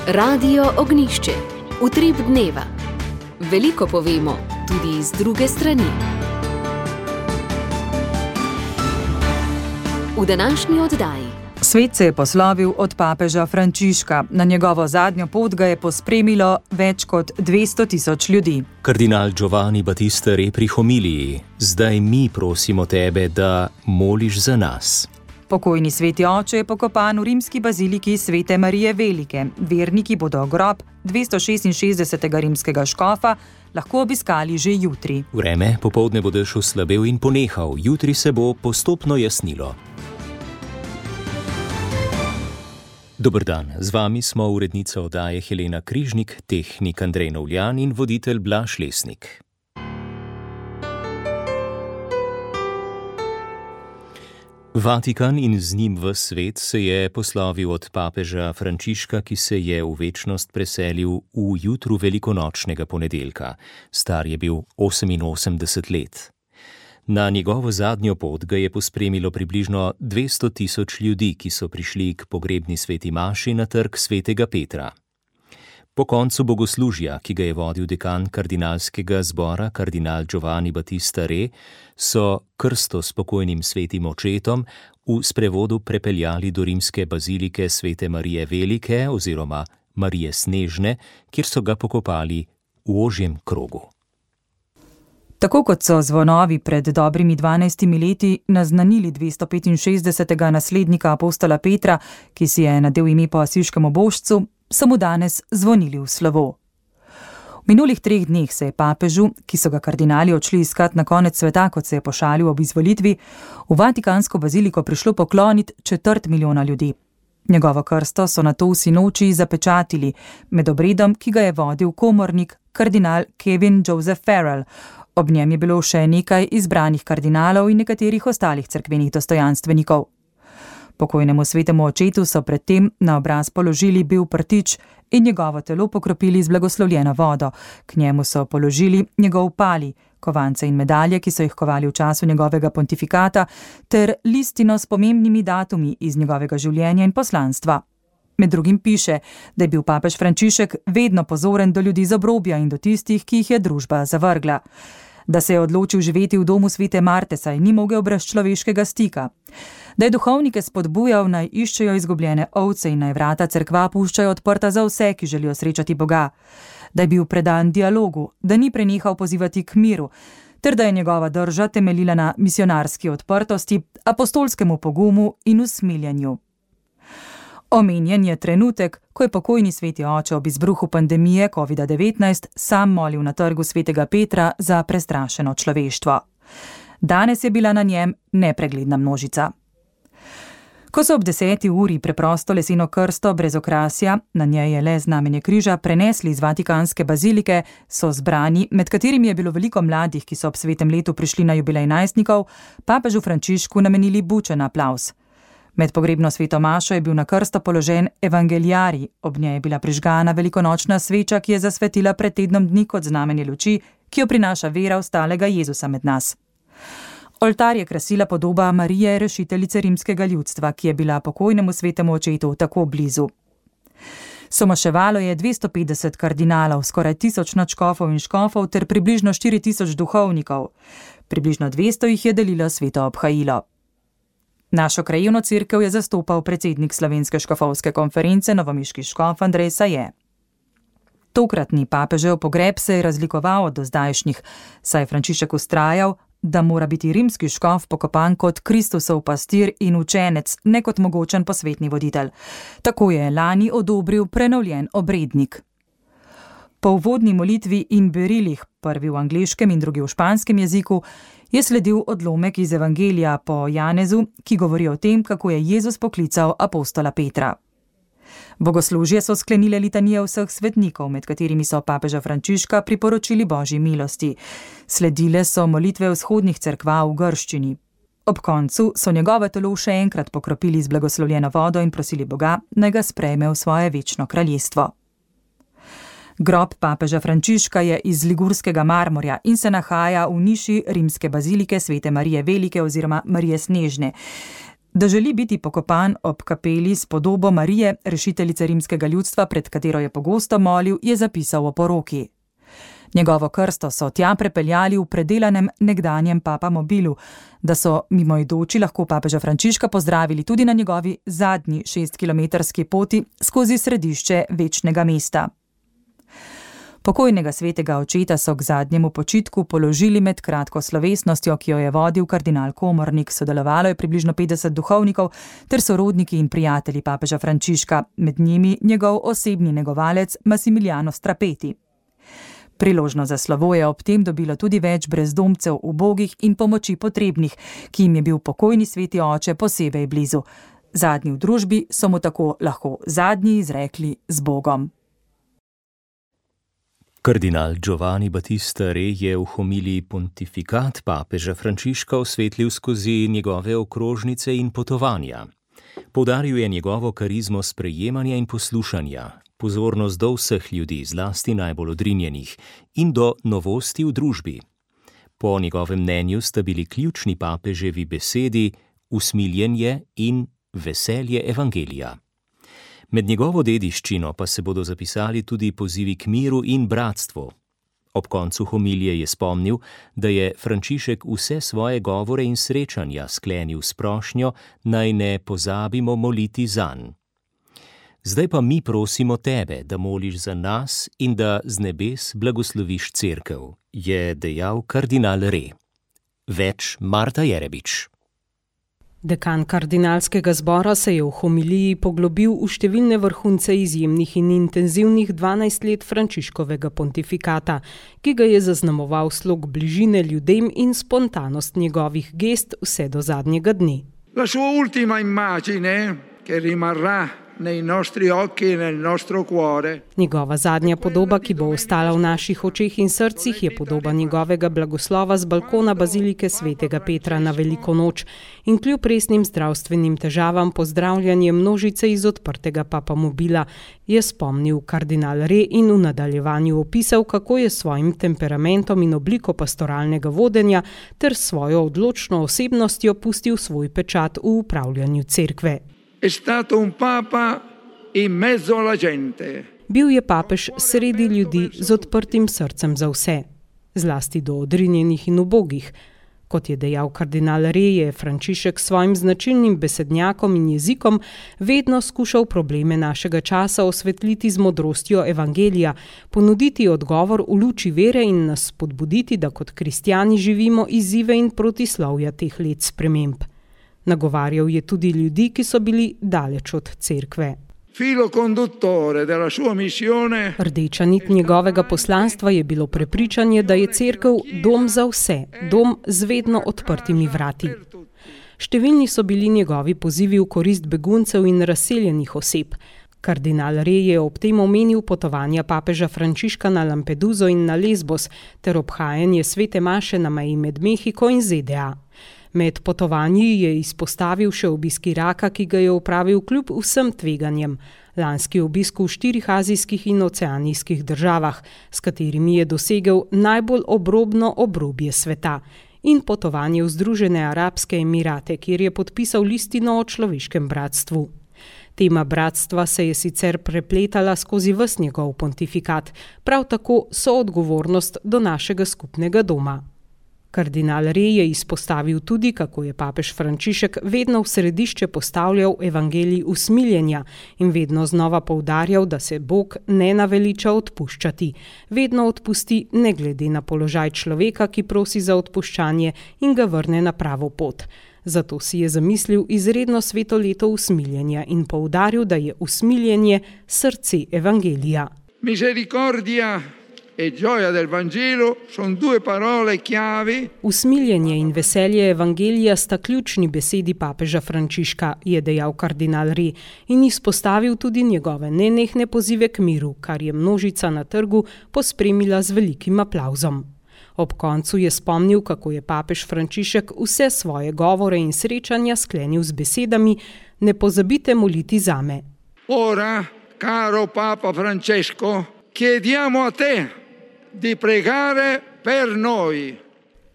Radio Ognjišče. Utrip dneva. Veliko povemo, tudi iz druge strani. V današnji oddaji. Svet se je poslovil od papeža Frančiška. Na njegovo zadnjo pot ga je pospremilo več kot 200.000 ljudi. Kardinal Giovanni Battista Re pri homiliji: zdaj mi prosimo tebe, da moliš za nas. Pokojni sveti oče je pokopan v rimski baziliki Svete Marije Velike. Verniki bodo grob 266. rimskega škofa lahko obiskali že jutri. Vreme popoldne bo dež oslabel in ponehal, jutri se bo postopno jasnilo. Dober dan, z vami smo urednica oddaje Helena Križnik, tehnik Andrej Novljan in voditelj Blaž Lesnik. Vatikan in z njim ves svet se je poslovil od papeža Frančiška, ki se je v večnost preselil v jutru velikonočnega ponedeljka. Star je bil 88 let. Na njegovo zadnjo pot ga je pospremilo približno 200.000 ljudi, ki so prišli k pogrebni sveti maši na trg svetega Petra. Po koncu bogoslužja, ki ga je vodil dekan kardinalskega zbora, kardinal Giovanni Battista Re, so krsto s pokojnim svetim očetom v sprevodu prepeljali do rimske bazilike Svete Marije Velike oziroma Marije Snežne, kjer so ga pokopali v ožjem krogu. Tako kot so zvonovi pred dobrimi 12 leti naznanili 265. naslednika apostola Petra, ki si je nadel ime po asiškem božcu, so mu danes zvonili v slovo. V minulih 3 dneh se je papežu, ki so ga kardinali odšli iskat na konec sveta, kot se je pošalil ob izvolitvi, v Vatikansko baziliko prišlo pokloniti 250 000 ljudi. Njegovo krsto so nato v sinoči zapečatili med obredom, ki ga je vodil komornik kardinal Kevin Joseph Farrell. Ob njem je bilo še nekaj izbranih kardinalov in nekaterih ostalih cerkvenih dostojanstvenikov. Pokojnemu svetemu očetu so predtem na obraz položili bil prtič in njegovo telo pokropili z blagoslovljeno vodo. K njemu so položili njegov pali, kovance in medalje, ki so jih kovali v času njegovega pontifikata, ter listino s pomembnimi datumi iz njegovega življenja in poslanstva. Med drugim piše, da je bil papež Frančišek vedno pozoren do ljudi z obrobja in do tistih, ki jih je družba zavrgla. Da se je odločil živeti v domu svete Marte, saj ni mogel brez človeškega stika. Da je duhovnike spodbujal, naj iščejo izgubljene ovce in naj vrata cerkva puščajo odprta za vse, ki želijo srečati Boga. Da je bil predan dialogu, da ni prenehal pozivati k miru, ter da je njegova drža temeljila na misionarski odprtosti, apostolskemu pogumu in usmiljenju. Omenjen je trenutek, ko je pokojni sveti oče ob izbruhu pandemije COVID-19 sam molil na trgu svetega Petra za prestrašeno človeštvo. Danes je bila na njem nepregledna množica. Ko so ob 10. uri preprosto leseno krsto brez okrasja, na njej je le znamenje križa, prenesli iz Vatikanske bazilike, so zbrani, med katerimi je bilo veliko mladih, ki so ob svetem letu prišli na jubilej najstnikov, papežu Frančišku namenili bučen aplavz. Med pogrebno sveto mašo je bil na krsto položen evangeliarij, ob njej je bila prižgana velikonočna sveča, ki je zasvetila pred tednom dni kot znamenje luči, ki jo prinaša vera ostalega Jezusa med nas. Oltar je krasila podoba Marije, rešiteljice rimskega ljudstva, ki je bila pokojnemu svetemu očetu tako blizu. Somaševalo je 250 kardinalov, skoraj 1000 nadškofov in škofov ter približno 4000 duhovnikov. Približno 200 jih je delilo sveto obhajilo. Našo krajevno cerkev je zastopal predsednik Slovenske škofovske konference, novomiški škof Andrej Saje. Tokratni papežev pogreb se je razlikoval od dozdajšnjih, saj je Frančišek vztrajal, da mora biti rimski škof pokopan kot Kristusov pastir in učenec, ne kot mogočen posvetni voditelj. Tako je lani odobril prenovljen obrednik. Po uvodni molitvi in berilih, prvi v angleškem in drugi v španskem jeziku, je sledil odlomek iz Evangelija po Janezu, ki govori o tem, kako je Jezus poklical apostola Petra. Bogoslužje so sklenile litanije vseh svetnikov, med katerimi so papeža Frančiška priporočili Božji milosti. Sledile so molitve vzhodnih cerkva v grščini. Ob koncu so njegovo telo še enkrat pokropili z blagoslovljeno vodo in prosili Boga, naj ga sprejme v svoje večno kraljestvo. Grob papeža Frančiška je iz ligurskega marmorja in se nahaja v niši rimske bazilike Svete Marije Velike oziroma Marije Snežne. Da želi biti pokopan ob kapeli s podobo Marije, rešiteljice rimskega ljudstva, pred katero je pogosto molil, je zapisal o poroki. Njegovo krsto so tja prepeljali v predelanem nekdanjem papamobilu, da so mimoidoči lahko papeža Frančiška pozdravili tudi na njegovi zadnji 6-kilometrski poti skozi središče večnega mesta. Pokojnega svetega očeta so k zadnjemu počitku položili med kratko slovesnostjo, ki jo je vodil kardinal Komornik. Sodelovalo je približno 50 duhovnikov ter sorodniki in prijatelji papeža Frančiška, med njimi njegov osebni negovalec Massimiliano Strapeti. Priložnost za slovo je ob tem dobilo tudi več brezdomcev, ubogih in pomoči potrebnih, ki jim je bil pokojni sveti oče posebej blizu. Zadnji v družbi so mu tako lahko zadnji izrekli z Bogom. Kardinal Giovanni Battista Re je v homiliji pontifikat papeža Frančiška osvetlil skozi njegove okrožnice in potovanja. Poudaril je njegovo karizmo sprejemanja in poslušanja, pozornost do vseh ljudi, zlasti najbolj odrinjenih, in do novosti v družbi. Po njegovem mnenju sta bili ključni papeževi besedi usmiljenje in veselje evangelija. Med njegovo dediščino pa se bodo zapisali tudi pozivi k miru in bratstvu. Ob koncu homilije je spomnil, da je Frančišek vse svoje govore in srečanja sklenil s prošnjo, naj ne pozabimo moliti zanj. Zdaj pa mi prosimo tebe, da moliš za nas in da z nebes blagosloviš cerkev, je dejal kardinal Re. Več Marta Jerebič. Dekan kardinalskega zbora se je v homiliji poglobil v številne vrhunce izjemnih in intenzivnih 12 let Frančiškovega pontifikata, ki ga je zaznamoval slog bližine ljudem in spontanost njegovih gest vse do zadnjega dne. La sua ultima immagine, che rimarrà nei nostri occhi e nel nostro cuore. Njegova zadnja podoba, ki bo ostala v naših očeh in srcih, je podoba njegovega blagoslova z balkona bazilike svetega Petra na Veliko noč in kljub resnim zdravstvenim težavam pozdravljanje množice iz odprtega papamobila, je spomnil kardinal Re in v nadaljevanju opisal, kako je s svojim temperamentom in obliko pastoralnega vodenja ter svojo odločno osebnostjo pustil svoj pečat v upravljanju cerkve. È stato un papa in mezzo alla gente. Bil je papež sredi ljudi z odprtim srcem za vse, zlasti do odrinjenih in ubogih. Kot je dejal kardinal Re, je Frančišek s svojim značilnim besednjakom in jezikom vedno skušal probleme našega časa osvetliti z modrostjo evangelija, ponuditi odgovor v luči vere in nas spodbuditi, da kot kristjani živimo izzive in protislovja teh let sprememb. Nagovarjal je tudi ljudi, ki so bili daleč od cerkve. Filo conduttore della sua missione. Rdeča nit njegovega poslanstva je bilo prepričanje, da je cerkev dom za vse, dom z vedno odprtimi vrati. Številni so bili njegovi pozivi v korist beguncev in razseljenih oseb. Kardinal Re je ob tem omenil potovanja papeža Frančiška na Lampeduso in na Lesbos ter obhajanje svete maše na meji med Mehiko in ZDA. Med potovanji je izpostavil še obisk Iraka, ki ga je opravil kljub vsem tveganjem. Lanski obisk v 4 azijskih in oceanijskih državah, s katerimi je dosegel najbolj obrobno obrobje sveta. In potovanje v Združene arabske emirate, kjer je podpisal listino o človeškem bratstvu. Tema bratstva se je sicer prepletala skozi ves njegov pontifikat, prav tako soodgovornost do našega skupnega doma. Kardinal Re je izpostavil tudi, kako je papež Frančišek vedno v središče postavljal evangelij usmiljenja in vedno znova poudarjal, da se Bog ne naveliča odpuščati. Vedno odpusti ne glede na položaj človeka, ki prosi za odpuščanje in ga vrne na pravo pot. Zato si je zamislil izredno sveto leto usmiljenja in poudaril, da je usmiljenje srce evangelija. Misericordia e gioia del Vangelo sono 2 parole chiave. Usmiljenje in veselje evangelija sta ključni besedi papeža Frančiška, je dejal kardinal Re in izpostavil tudi njegove nenehne pozive k miru, kar je množica na trgu pospremila z velikim aplavzom. Ob koncu je spomnil, kako je papež Frančišek vse svoje govore in srečanja sklenil z besedami: "Ne pozabite moliti zame." Ora, caro Papa Francesco, chiediamo a te di pregare per noi.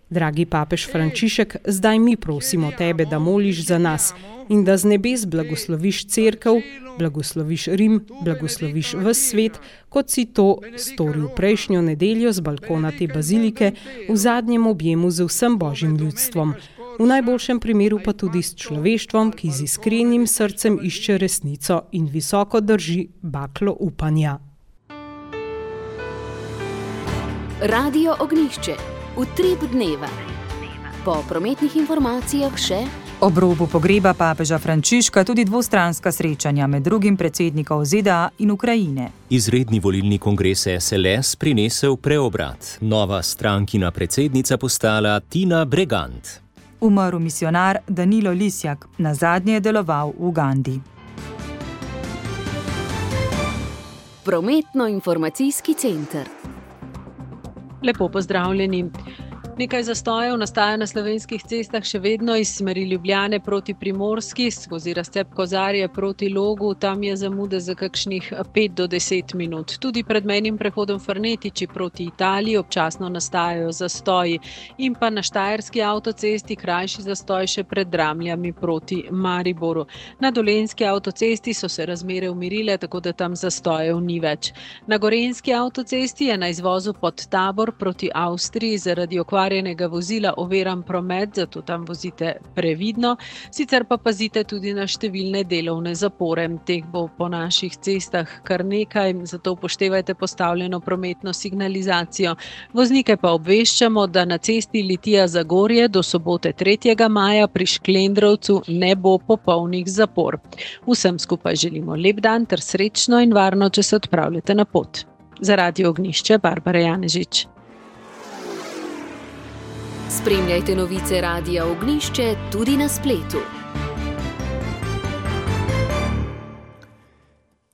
Dragi papež Frančišek, zdaj mi prosimo tebe, da moliš za nas in da z nebes blagosloviš cerkev, blagosloviš Rim, blagosloviš ves svet, kot si to storil prejšnjo nedeljo z balkona te bazilike v zadnjem objemu z vsem božjim ljudstvom. V najboljšem primeru pa tudi s človeštvom, ki z iskrenim srcem išče resnico in visoko drži baklo upanja. Radio Ognjišče. Utrip dneva. Po prometnih informacijah še ob robu pogreba papeža Frančiška tudi dvostranska srečanja med drugim predsednikov ZDA in Ukrajine. Izredni volilni kongres SLS prinesel preobrat. Nova strankina predsednica postala Tina Bregant. Umrl misionar Danilo Lisjak, nazadnje je deloval v Ugandi. Prometno-informacijski center. Lepo pozdravljeni. Nekaj zastojev nastaja na slovenskih cestah še vedno iz smeri Ljubljane proti Primorski, skozi razcep Kozarje proti Logu, tam je zamude za kakšnih 5 do 10 minut. Tudi pred mejnim prehodom Farnetiči proti Italiji občasno nastajajo zastoji in pa na Štajerski avtocesti krajši zastoj še pred Dramljami proti Mariboru. Na Dolenjski avtocesti so se razmere umirile, tako da tam zastojev ni več. Na Gorenjski avtocesti je na izvozu pod Tabor proti Avstriji zaradi okvarjenega vozila oviran promet, zato tam vozite previdno. Sicer pa pazite tudi na številne delovne zapore. Teh bo po naših cestah kar nekaj, zato upoštevajte postavljeno prometno signalizacijo. Voznike pa obveščamo, da na cesti Litija-Zagorje do sobote 3. maja pri Šklendrovcu ne bo popolnih zapor. Vsem skupaj želimo lep dan ter srečno in varno, če se odpravljate na pot. Za Radio Ognjišče, Barbara Janežič. Spremljajte novice Radia Ognjišče tudi na spletu.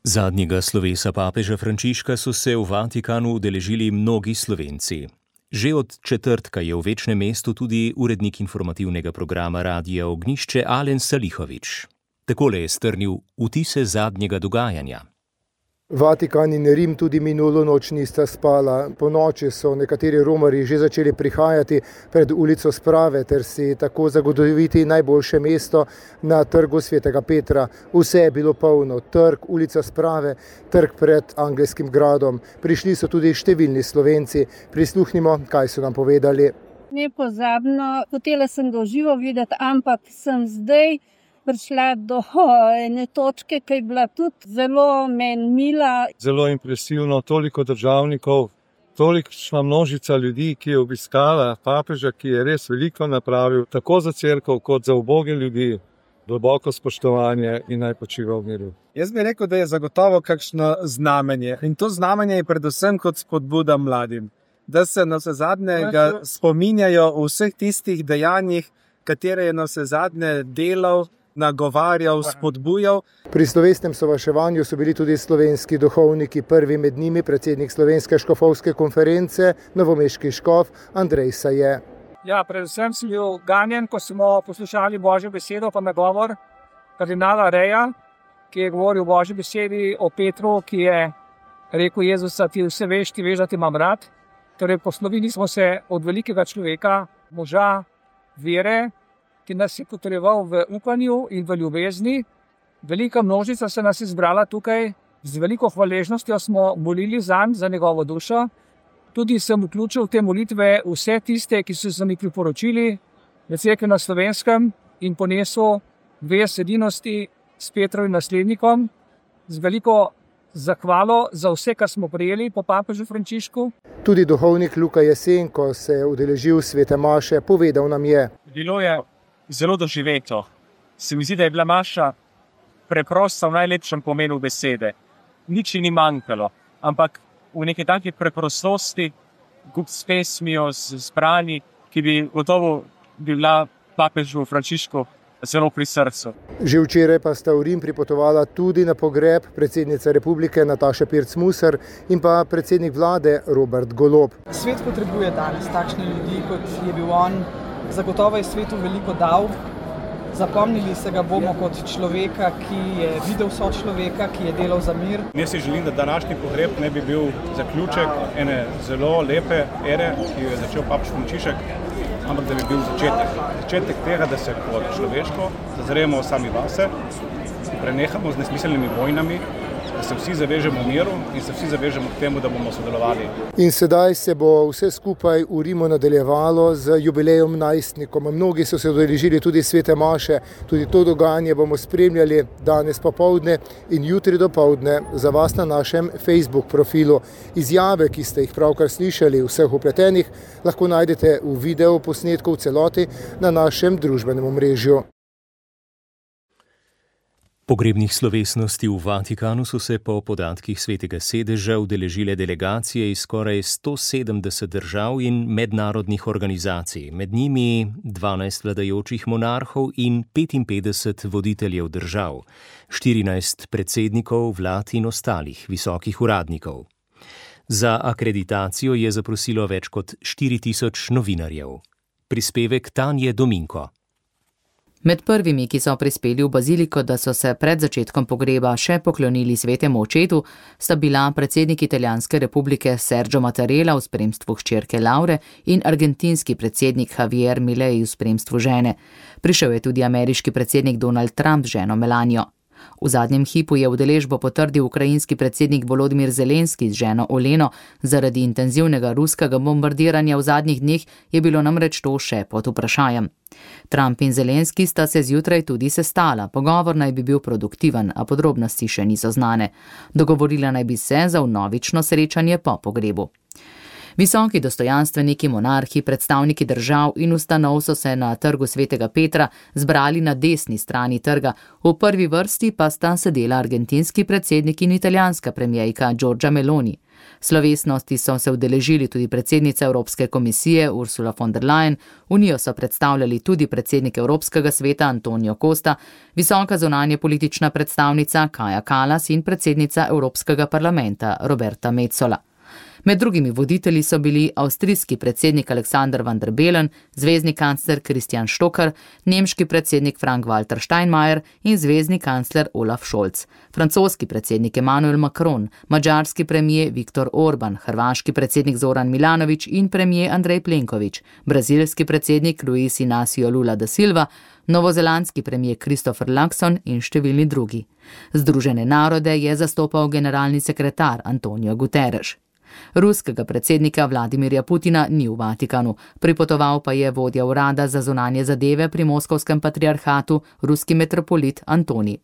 Zadnjega slovesa papeža Frančiška so se v Vatikanu udeležili mnogi Slovenci. Že od četrtka je v večnem mestu tudi urednik informativnega programa Radia Ognjišče Alen Salihović. Takole je strnil vtise zadnjega dogajanja. Vatikan in Rim tudi minulo noč nista spala. Po noči so nekateri romarji že začeli prihajati pred ulico Sprave ter si tako zagotoviti najboljše mesto na trgu Svetega Petra. Vse je bilo polno, trg, ulica Sprave, trg pred Angelskim gradom. Prišli so tudi številni Slovenci. Prisluhnimo, kaj so nam povedali. Nepozabno, hotela sem ga v živo videti, ampak sem zdaj prišla do ene točke, ki je bila tudi zelo meni mila. Zelo impresivno, toliko državnikov, tolikšna množica ljudi, ki je obiskala papeža, ki je res veliko napravil, tako za cerkev kot za uboge ljudi. Globoko spoštovanje in naj počiva v miru. Jaz bi rekel, da je zagotovo kakšno znamenje. In to znamenje je predvsem kot spodbuda mladim, da se navsezadnje spominjajo o vseh tistih dejanjih, katere je navsezadnje delal, nagovarjal, spodbujal. Pri slovesnem sovaševanju so bili tudi slovenski duhovniki, prvi med njimi predsednik Slovenske škofovske konference, novomeški škof Andrej Saje. Ja, predvsem sem bil ganjen, ko smo poslušali Božjo besedo pa nagovor kardinala Reja, ki je govoril o Božji besedi o Petru, ki je rekel Jezusa, ti vse veš, ti veš, da ti imam rad. Torej, poslovili smo se od velikega človeka, moža vere, ki nas je potreboval v upanju in v ljubezni. Velika množica se nas je zbrala tukaj, z veliko hvaležnostjo smo molili zanj, za njegovo dušo. Tudi sem vključil v te molitve vse tiste, ki so se mi priporočili v cerkvi na Slovenskem in ponesel vest edinosti s Petrovim naslednikom, z veliko zahvalo za vse, kar smo prejeli po papežu Frančišku. Tudi duhovnik Luka Jesenko se je udeležil svete maše, povedal nam je. Bilo je zelo doživeto. Se mi zdi, da je bila maša preprosta v najlepšem pomenu besede. Nič ni manjkalo, ampak v neki taki preprostosti, s pesmijo, s brani, ki bi gotovo bila papežu Frančišku zelo pri srcu. Že včeraj pa sta v Rim pripotovala tudi na pogreb predsednice republike Nataše Pirc-Musar in pa predsednik vlade Robert Golob. Svet potrebuje danes takšne ljudi, kot je bil on. Zagotovo je svetu veliko dal. Zapomnili se ga bomo kot človeka, ki je videl sočloveka, ki je delal za mir. Jaz si želim, da današnji pogreb ne bi bil zaključek ene zelo lepe ere, ki jo je začel papež Frančišek. ampak da bi bil začetek tega, da se kot človeško zazremo sami vase, prenehamo z nesmiselnimi vojnami, da se vsi zavežemo miru in se vsi zavežemo k temu, da bomo sodelovali. In sedaj se bo vse skupaj v Rimu nadaljevalo z jubilejem najstnikom. Mnogi so se udeležili tudi svete maše, tudi to dogajanje bomo spremljali danes popoldne in jutri dopoldne za vas na našem Facebook profilu. Izjave, ki ste jih pravkar slišali vseh vpletenih, lahko najdete v video posnetku v celoti na našem družbenem omrežju. Pogrebnih slovesnosti v Vatikanu so se po podatkih Svetega sedeža udeležile delegacije iz skoraj 170 držav in mednarodnih organizacij, med njimi 12 vladajočih monarhov in 55 voditeljev držav, 14 predsednikov vlad in ostalih visokih uradnikov. Za akreditacijo je zaprosilo več kot 4000 novinarjev. Prispevek Tanje Dominko. Med prvimi, ki so prispeli v baziliko, da so se pred začetkom pogreba še poklonili svetemu očetu, sta bila predsednik Italijanske republike Sergio Mattarella v spremstvu hčerke Laure in argentinski predsednik Javier Milei v spremstvu žene. Prišel je tudi ameriški predsednik Donald Trump z ženo Melanijo. V zadnjem hipu je udeležbo potrdil ukrajinski predsednik Volodymyr Zelenski z ženo Oleno. Zaradi intenzivnega ruskega bombardiranja v zadnjih dneh je bilo namreč to še pod vprašanjem. Trump in Zelenski sta se zjutraj tudi sestala. Pogovor naj bi bil produktiven, a podrobnosti še niso znane. Dogovorila naj bi se za vnovično srečanje po pogrebu. Visoki dostojanstveniki, monarhi, predstavniki držav in ustanov so se na trgu Svetega Petra zbrali na desni strani trga. V prvi vrsti pa sta sedela argentinski predsednik in italijanska premijejka Giorgia Meloni. Slovesnosti so se udeležili tudi predsednica Evropske komisije Ursula von der Leyen, unijo so predstavljali tudi predsednik Evropskega sveta Antonio Costa, visoka zunanje politična predstavnica Kaja Kallas in predsednica Evropskega parlamenta Roberta Metsola. Med drugimi voditelji so bili avstrijski predsednik Alexander van der Bellen, zvezni kancler Christian Stocker, nemški predsednik Frank-Walter Steinmeier in zvezni kancler Olaf Scholz, francoski predsednik Emmanuel Macron, madžarski premijer Viktor Orban, hrvaški predsednik Zoran Milanović in premijer Andrej Plenković, brazilski predsednik Luis Inácio Lula da Silva, novozelandski premijer Christopher Luxon in številni drugi. Združene narode je zastopal generalni sekretar Antonio Guterres. Ruskega predsednika Vladimirja Putina ni v Vatikanu, pripotoval pa je vodja urada za zunanje zadeve pri Moskovskem patriarhatu, ruski metropolit Antonij.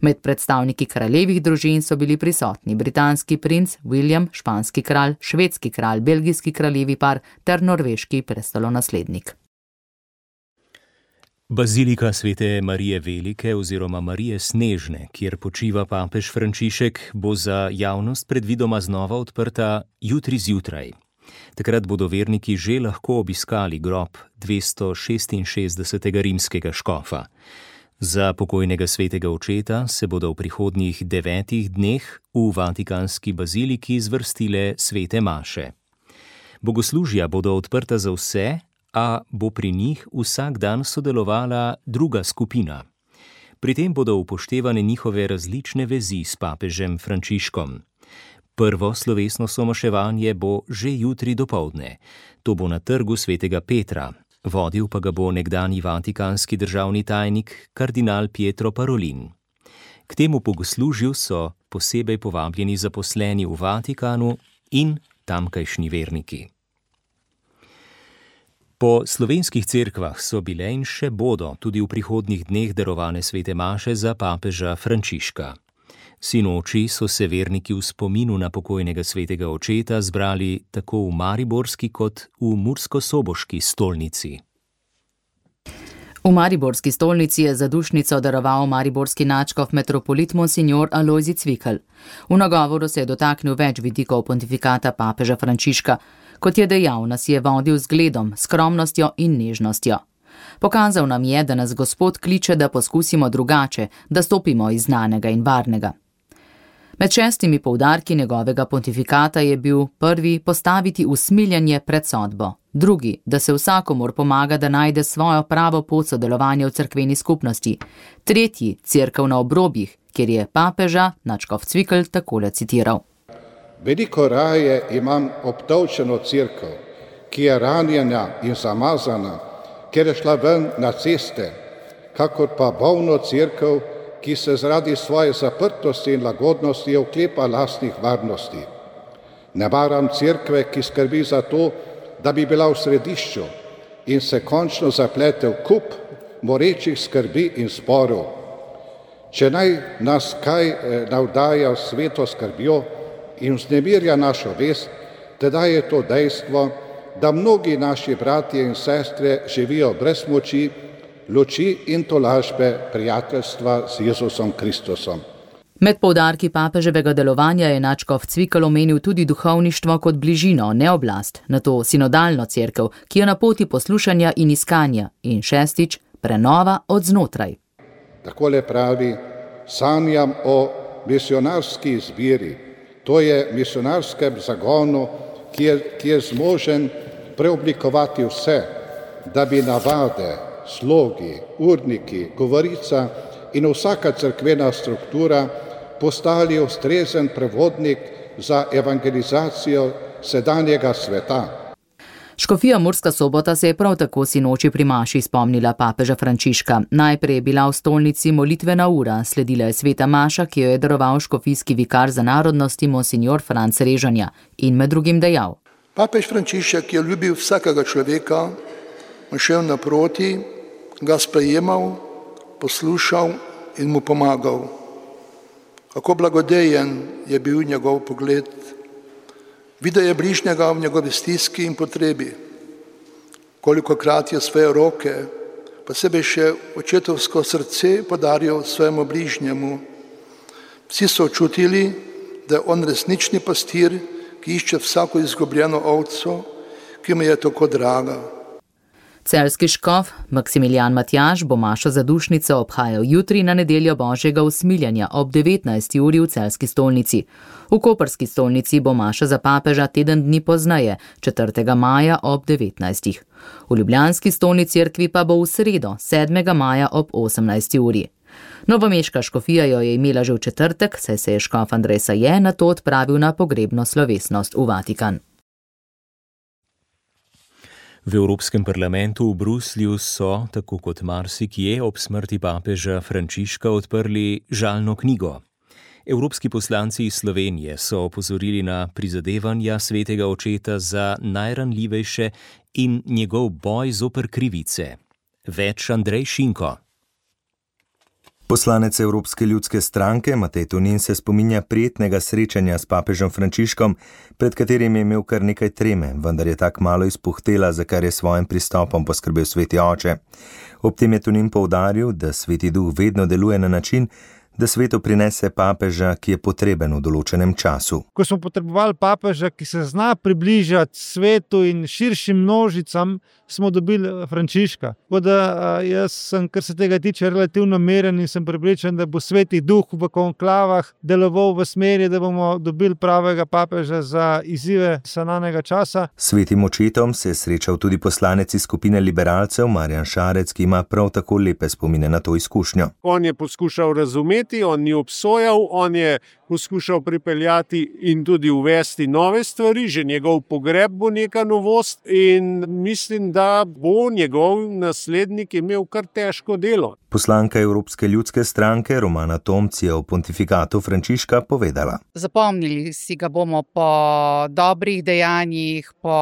Med predstavniki kraljevih družin so bili prisotni britanski princ William, španski kralj, švedski kralj, belgijski kraljevi par ter norveški prestolonaslednik. Bazilika svete Marije Velike oziroma Marije Snežne, kjer počiva papež Frančišek, bo za javnost predvidoma znova odprta jutri zjutraj. Takrat bodo verniki že lahko obiskali grob 266. rimskega škofa. Za pokojnega svetega očeta se bodo v prihodnjih 9 dneh v vatikanski baziliki zvrstile svete maše. Bogoslužja bodo odprta za vse, a bo pri njih vsak dan sodelovala druga skupina. Pri tem bodo upoštevane njihove različne vezi s papežem Frančiškom. Prvo slovesno somaševanje bo že jutri dopoldne. To bo na trgu Svetega Petra. Vodil pa ga bo nekdanji vatikanski državni tajnik kardinal Pietro Parolin. K temu bogoslužju so posebej povabljeni zaposleni v Vatikanu in tamkajšnji verniki. Po slovenskih cerkvah so bile in še bodo tudi v prihodnjih dneh darovane svete maše za papeža Frančiška. Sinoči so se verniki v spominu na pokojnega svetega očeta zbrali tako v mariborski kot v murskosoboški stolnici. V mariborski stolnici je zadušnico daroval mariborski nadškof metropolit monsignor Alojzij Cvikl. V nagovoru se je dotaknil več vidikov pontifikata papeža Frančiška. Kot je dejal, nas je vodil z zgledom, skromnostjo in nežnostjo. Pokazal nam je, da nas Gospod kliče, da poskusimo drugače, da stopimo iz znanega in varnega. Med 6 poudarki njegovega pontifikata je bil prvi postaviti usmiljanje pred sodbo, drugi, da se vsakomur pomaga, da najde svojo pravo pot sodelovanja v cerkveni skupnosti, tretji, cerkev na obrobjih, kjer je papeža nadškof Cvikl takole citiral. Veliko raje imam obdolčeno cerkev, ki je ranjena in zamazana, ker je šla ven na ceste, kakor pa bolno cerkev, ki se zaradi svoje zaprtosti in lagodnosti oklepa lastnih varnosti. Ne maram cerkve, ki skrbi za to, da bi bila v središču in se končno zaplete v kup morečih skrbi in sporov. Če naj nas kaj navdaja sveto skrbjo in vznemirja našo vest, teda je to dejstvo, da mnogi naši bratje in sestre živijo brez moči, luči in tolažbe prijateljstva z Jezusom Kristusom. Med poudarki papeževega delovanja je nadškof Cvikl omenil tudi duhovništvo kot bližino, ne oblast, nato sinodalno cerkev, ki je na poti poslušanja in iskanja, in šestič, prenova od znotraj. Takole pravi, sanjam o misionarski izbiri, to je misionarskem zagonu, ki je zmožen preoblikovati vse, da bi navade, slogi, urniki, govorica in vsaka cerkvena struktura postali ustrezen prevodnik za evangelizacijo sedanjega sveta. Škofija Murska Sobota se je prav tako sinoči pri maši spomnila papeža Frančiška. Najprej je bila v stolnici molitvena ura, sledila je sveta maša, ki jo je daroval škofijski vikar za narodnosti monsignor Franc Režanja in med drugim dejal. Papež Frančišek je ljubil vsakega človeka, šel naproti, ga sprejemal, poslušal in mu pomagal. Kako blagodejen je bil njegov pogled. Videl je bližnjega v njegovi stiski in potrebi. Kolikokrat je svoje roke, posebej še očetovsko srce podaril svojemu bližnjemu. Vsi so čutili, da je on resnični pastir, ki išče vsako izgubljeno ovco, ki mu je tako draga. Celjski škof Maksimilijan Matjaž bo mašo za dušnico obhajal jutri na nedeljo Božjega usmiljanja ob 19. uri v celjski stolnici. V koprski stolnici bo maša za papeža teden dni pozneje, 4. maja ob 19. V ljubljanski stolni cerkvi pa bo v sredo, 7. maja ob 18. uri. Novomeška škofija jo je imela že v četrtek, saj se je škof Andrej Saje nato odpravil na pogrebno slovesnost v Vatikan. V Evropskem parlamentu v Bruslju so, tako kot marsikje, ob smrti papeža Frančiška odprli žalno knjigo. Evropski poslanci iz Slovenije so opozorili na prizadevanja svetega očeta za najranljivejše in njegov boj zoper krivice. Več Andrej Šinko. Poslanec Evropske ljudske stranke Matej Tonin se spominja prijetnega srečanja s papežem Frančiškom, pred katerim je imel kar nekaj treme, vendar je tak malo izpuhtela, za kar je svojim pristopom poskrbel sveti oče. Ob tem je Tonin poudaril, da sveti duh vedno deluje na način, da svetu prinese papeža, ki je potreben v določenem času. Ko smo potrebovali papeža, ki se zna približati svetu in širšim množicam, smo dobili Frančiška. Tako da jaz sem, kar se tega tiče, relativno miren in sem prepričan, da bo sveti duh v konklavah deloval v smeri, da bomo dobili pravega papeža za izzive sananega časa. Svetim očetom se je srečal tudi poslanec iz skupine liberalcev Marjan Šarec, ki ima prav tako lepe spomine na to izkušnjo. On je poskušal razumeti, on ni obsojal, on je poskušal pripeljati in tudi uvesti nove stvari, že njegov pogreb bo neka novost in mislim, da bo njegov naslednik imel kar težko delo. Poslanka Evropske ljudske stranke Romana Tomc je o pontifikatu Frančiška povedala. Zapomnili si ga bomo po dobrih dejanjih, po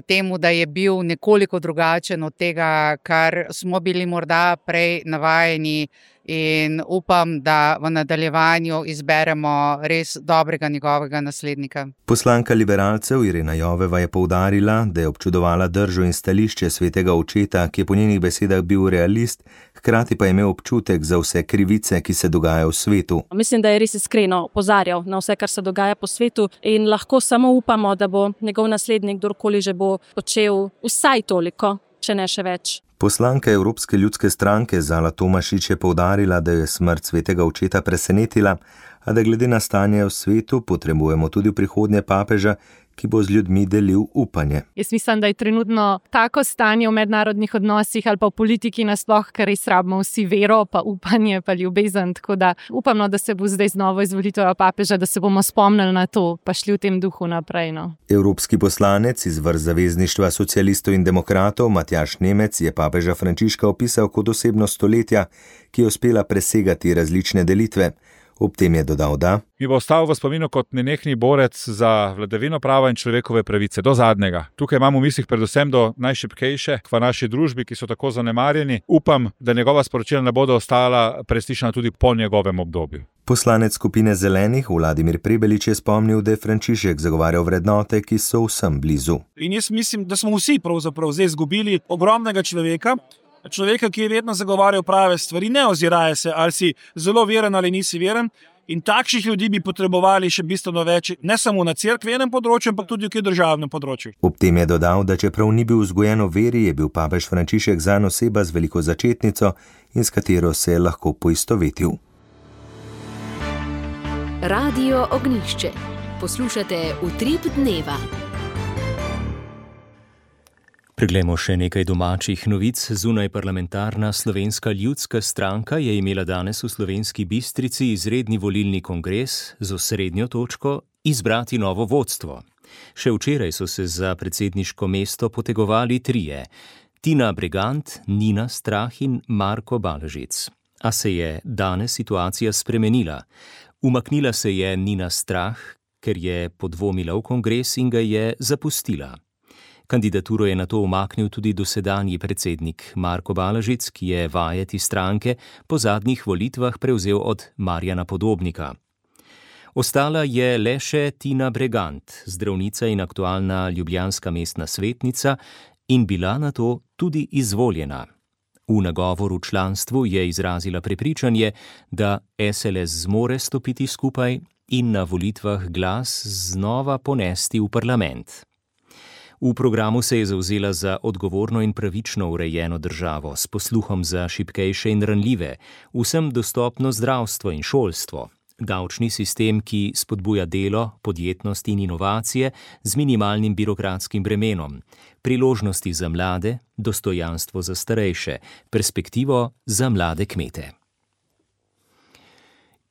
temu, da je bil nekoliko drugačen od tega, kar smo bili morda prej navajeni, in upam, da v nadaljevanju izberemo res dobrega njegovega naslednika. Poslanka liberalcev Irena Joveva je poudarila, da je občudovala držo in stališče svetega očeta, ki je po njenih besedah bil realist, hkrati pa je imel občutek za vse krivice, ki se dogajajo v svetu. Mislim, da je res iskreno opozarjal na vse, kar se dogaja po svetu in lahko samo upamo, da bo njegov naslednik, kdorkoli že bo, počel vsaj toliko, če ne še več. Poslanka Evropske ljudske stranke Zala Tomašič je poudarila, da je smrt svetega očeta presenetila, a da glede na stanje v svetu potrebujemo tudi v prihodnje papeža, ki bo z ljudmi delil upanje. Jaz mislim, da je trenutno tako stanje v mednarodnih odnosih ali pa v politiki nasploh, ker res rabimo vsi vero, pa upanje, pa ljubezen. Tako da upamo, da se bo zdaj z novo izvolitvijo papeža, da se bomo spomnili na to, pa šli v tem duhu naprej. No. Evropski poslanec iz vrst Zavezništva socialistov in demokratov Matjaž Nemec je papeža Frančiška opisal kot osebnost stoletja, ki je uspela presegati različne delitve. Ob tem je dodal, da mi bo ostal v spominu kot nenehni borec za vladavino prava in človekove pravice, do zadnjega. Tukaj imamo v mislih predvsem do najšibkejše v naši družbi, ki so tako zanemarjeni. Upam, da njegova sporočila ne bodo ostala preslišana tudi po njegovem obdobju. Poslanec skupine Zelenih Vladimir Prebelič je spomnil, da je Frančišek zagovarjal vrednote, ki so vsem blizu. In jaz mislim, da smo vsi pravzaprav zdaj izgubili ogromnega človeka, ki je vedno zagovarjal prave stvari, ne oziraje se, ali si zelo veren ali nisi veren. In takšnih ljudi bi potrebovali še bistveno več, ne samo na cerkvenem področju, ampak tudi v državnem področju. Ob tem je dodal, da čeprav ni bil vzgojen v veri, je bil papež Frančišek zanj oseba z veliko začetnico in s katero se je lahko poistovetil. Radio Ognjišče. Poslušate Utrip dneva. Preglejmo še nekaj domačih novic. Zunajparlamentarna Slovenska ljudska stranka je imela danes v Slovenski Bistrici izredni volilni kongres z osrednjo točko izbrati novo vodstvo. Še včeraj so se za predsedniško mesto potegovali trije: Tina Bregant, Nina Strah in Marko Balažic. A se je danes situacija spremenila. Umaknila se je Nina Strah, ker je podvomila v kongres in ga je zapustila. Kandidaturo je nato umaknil tudi dosedanji predsednik Marko Balažic, ki je vajeti stranke po zadnjih volitvah prevzel od Marjana Podobnika. Ostala je le še Tina Bregant, zdravnica in aktualna ljubljanska mestna svetnica, in bila nato tudi izvoljena. V nagovoru članstvu je izrazila prepričanje, da SLS zmore stopiti skupaj in na volitvah glas znova ponesti v parlament. V programu se je zavzela za odgovorno in pravično urejeno državo s posluhom za šibkejše in ranljive, vsem dostopno zdravstvo in šolstvo, davčni sistem, ki spodbuja delo, podjetnost in inovacije z minimalnim birokratskim bremenom, priložnosti za mlade, dostojanstvo za starejše, perspektivo za mlade kmete.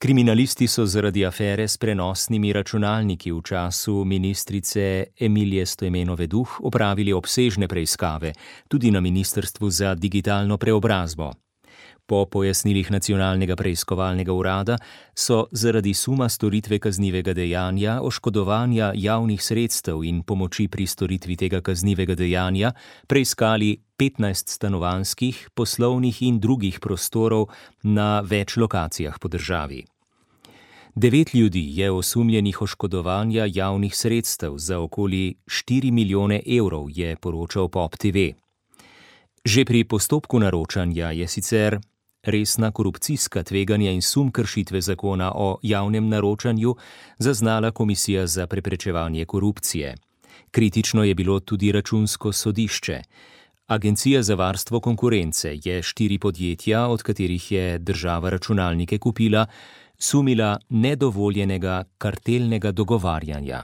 Kriminalisti so zaradi afere s prenosnimi računalniki v času ministrice Emilije Stojmenove Duh opravili obsežne preiskave, tudi na Ministrstvu za digitalno preobrazbo. Po pojasnilih Nacionalnega preiskovalnega urada so zaradi suma storitve kaznivega dejanja, oškodovanja javnih sredstev in pomoči pri storitvi tega kaznivega dejanja preiskali 15 stanovanjskih, poslovnih in drugih prostorov na več lokacijah po državi. 9 ljudi je osumljenih oškodovanja javnih sredstev za okoli 4 milijone evrov, je poročal Pop TV. Že pri postopku naročanja je sicer resna korupcijska tveganja in sum kršitve zakona o javnem naročanju zaznala Komisija za preprečevanje korupcije. Kritično je bilo tudi Računsko sodišče. Agencija za varstvo konkurence je 4 podjetja, od katerih je država računalnike kupila, sumila nedovoljenega kartelnega dogovarjanja.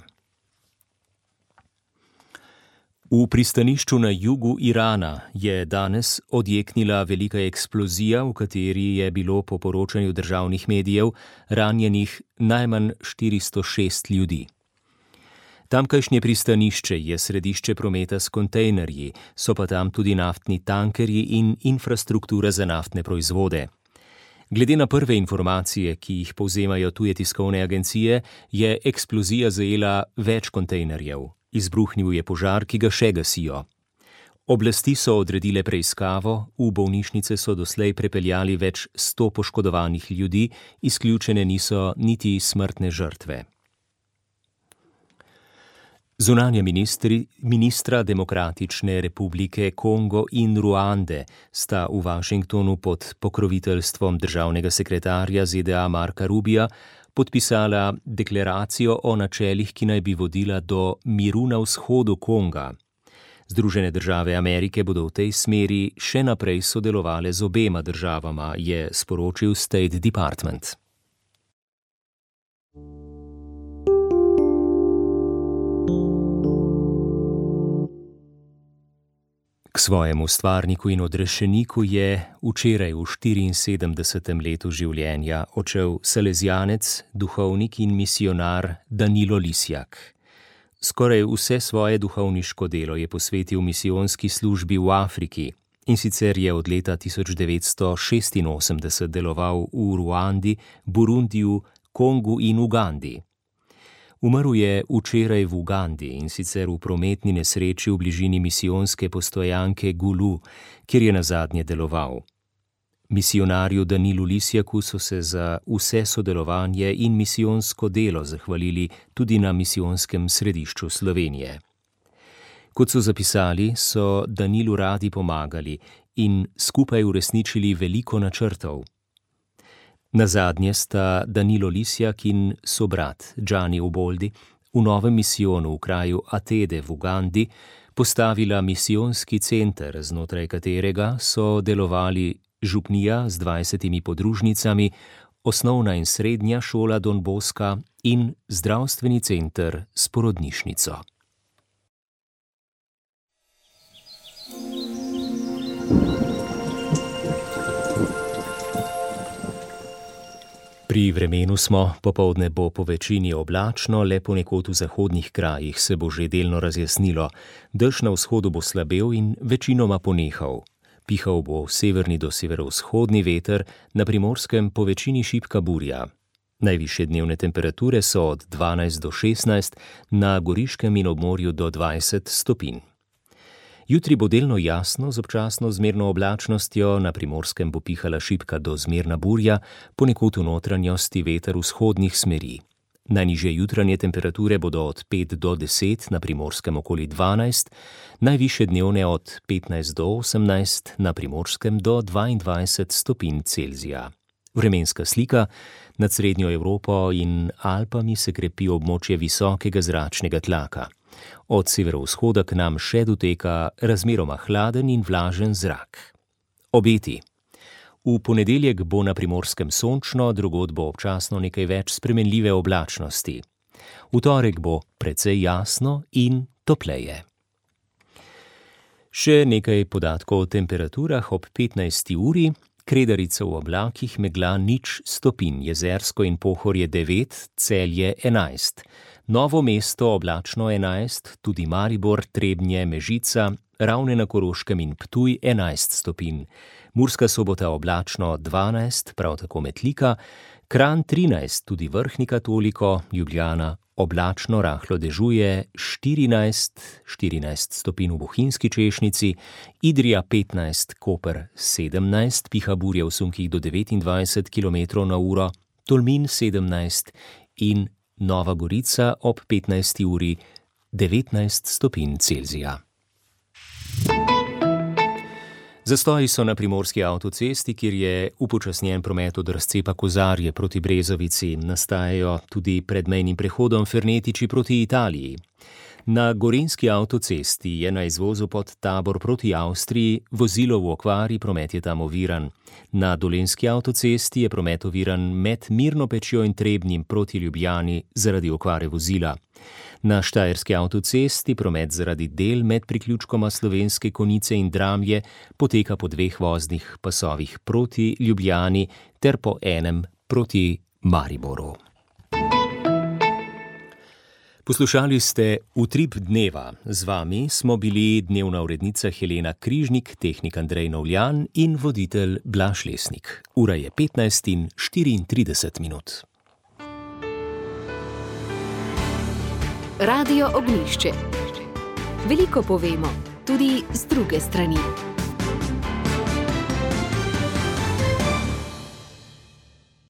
V pristanišču na jugu Irana je danes odjeknila velika eksplozija, v kateri je bilo po poročanju državnih medijev ranjenih najmanj 406 ljudi. Tamkajšnje pristanišče je središče prometa s kontejnerji, so pa tam tudi naftni tankerji in infrastruktura za naftne proizvode. Glede na prve informacije, ki jih povzemajo tuje tiskovne agencije, je eksplozija zajela več kontejnerjev. Izbruhnil je požar, ki ga še gasijo. Oblasti so odredile preiskavo, v bolnišnice so doslej prepeljali več 100 poškodovanih ljudi, izključene niso niti smrtne žrtve. Zunanja ministra Demokratične republike Kongo in Ruande sta v Washingtonu pod pokroviteljstvom državnega sekretarja ZDA Marka Rubija podpisala deklaracijo o načelih, ki naj bi vodila do miru na vzhodu Konga. Združene države Amerike bodo v tej smeri še naprej sodelovale z obema državama, je sporočil State Department. K svojemu stvarniku in odrešeniku je včeraj v 74. letu življenja odšel salezijanec, duhovnik in misionar Danilo Lisjak. Skoraj vse svoje duhovniško delo je posvetil misijonski službi v Afriki, in sicer je od leta 1986 deloval v Ruandi, Burundiju, Kongu in Ugandi. Umrl je včeraj v Ugandi, in sicer v prometni nesreči v bližini misijonske postojanke Gulu, kjer je nazadnje deloval. Misionarju Danilu Lisjaku so se za vse sodelovanje in misijonsko delo zahvalili tudi na misijonskem središču Slovenije. Kot so zapisali, so Danilu radi pomagali in skupaj uresničili veliko načrtov. Nazadnje sta Danilo Lisjak in sobrat Gianni Uboldi v novem misijonu v kraju Atede v Ugandi postavila misijonski center, znotraj katerega so delovali župnija z 20 podružnicami, osnovna in srednja šola Don Bosca in zdravstveni center s porodnišnico. Pri vremenu smo, popoldne bo po večini oblačno, le ponekod v zahodnih krajih se bo že delno razjasnilo. Dež na vzhodu bo slabel in večinoma ponehal. Pihal bo severni do severovzhodni veter, na Primorskem po večini šibka burja. Najvišje dnevne temperature so od 12 do 16, na Goriškem in obmorju do 20 stopinj. Jutri bo delno jasno z občasno zmerno oblačnostjo, na Primorskem bo pihala šibka do zmerna burja, ponekod v notranjosti veter vzhodnih smeri. Najnižje jutranje temperature bodo od 5 do 10, na Primorskem okoli 12, najvišje dnevne od 15 do 18, na Primorskem do 22 stopinj Celzija. Vremenska slika: nad srednjo Evropo in Alpami se krepi območje visokega zračnega tlaka. Od severovzhoda k nam še doteka razmeroma hladen in vlažen zrak. Obeti. V ponedeljek bo na Primorskem sončno, drugod bo občasno nekaj več spremenljive oblačnosti. V torek bo precej jasno in topleje. Še nekaj podatkov o temperaturah ob 15. uri. Kredarica v oblakih, megla 0 stopinj, Jezersko in Pohorje 9, Celje 11. Novo mesto oblačno 11, tudi Maribor, Trebnje, Mežica, Ravne na Koroškem in Ptuj 11 stopinj. Murska Sobota oblačno 12, prav tako Metlika, Kranj 13, tudi Vrhnika toliko, Ljubljana oblačno rahlo dežuje 14 stopinj v Bohinjski Češnici, Idrija 15, Koper 17, piha burja v sunkih do 29 km/h, Tolmin 17 in Nova Gorica ob 15. uri 19 stopinj Celzija. Zastoji so na primorski avtocesti, kjer je upočasnjen promet od razcepa Kozarje proti Brezovici. Nastajajo tudi pred mejnim prehodom Fernetiči proti Italiji. Na gorenjski avtocesti je na izvozu pod Tabor proti Avstriji vozilo v okvari, promet je tam oviran. Na dolenjski avtocesti je promet oviran med Mirno Pečjo in Trebnjem proti Ljubljani zaradi okvare vozila. Na štajerski avtocesti promet zaradi del med priključkoma Slovenske Konjice in Dramlje poteka po 2 voznih pasovih proti Ljubljani ter po enem proti Mariboru. Poslušali ste Utrip dneva. Z vami smo bili dnevna urednica Helena Križnik, tehnik Andrej Novljan in voditelj Blaž Lesnik. Ura je 15:34. Radio Ognjišče. Veliko povemo, tudi z druge strani.